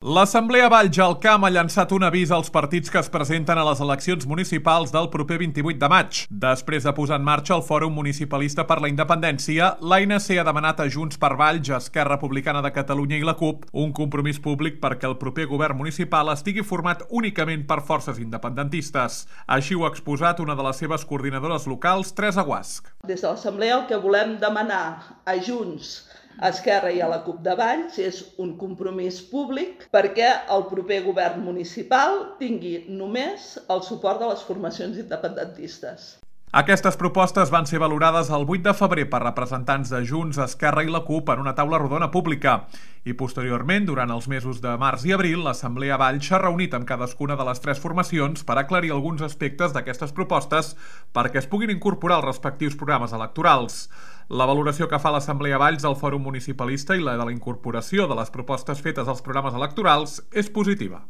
L'Assemblea Valls-Jalcam ha llançat un avís als partits que es presenten a les eleccions municipals del proper 28 de maig. Després de posar en marxa el Fòrum Municipalista per la Independència, l'ANC ha demanat a Junts per Valls, Esquerra Republicana de Catalunya i la CUP un compromís públic perquè el proper govern municipal estigui format únicament per forces independentistes. Així ho ha exposat una de les seves coordinadores locals, Teresa Guasch. Des de l'Assemblea el que volem demanar a Junts, a Esquerra i a la CUP de Valls és un compromís públic perquè el proper govern municipal tingui només el suport de les formacions independentistes. Aquestes propostes van ser valorades el 8 de febrer per representants de Junts, Esquerra i la CUP en una taula rodona pública. I posteriorment, durant els mesos de març i abril, l'Assemblea Valls s'ha reunit amb cadascuna de les tres formacions per aclarir alguns aspectes d'aquestes propostes perquè es puguin incorporar als respectius programes electorals. La valoració que fa l'Assemblea Valls del Fòrum Municipalista i la de la incorporació de les propostes fetes als programes electorals és positiva.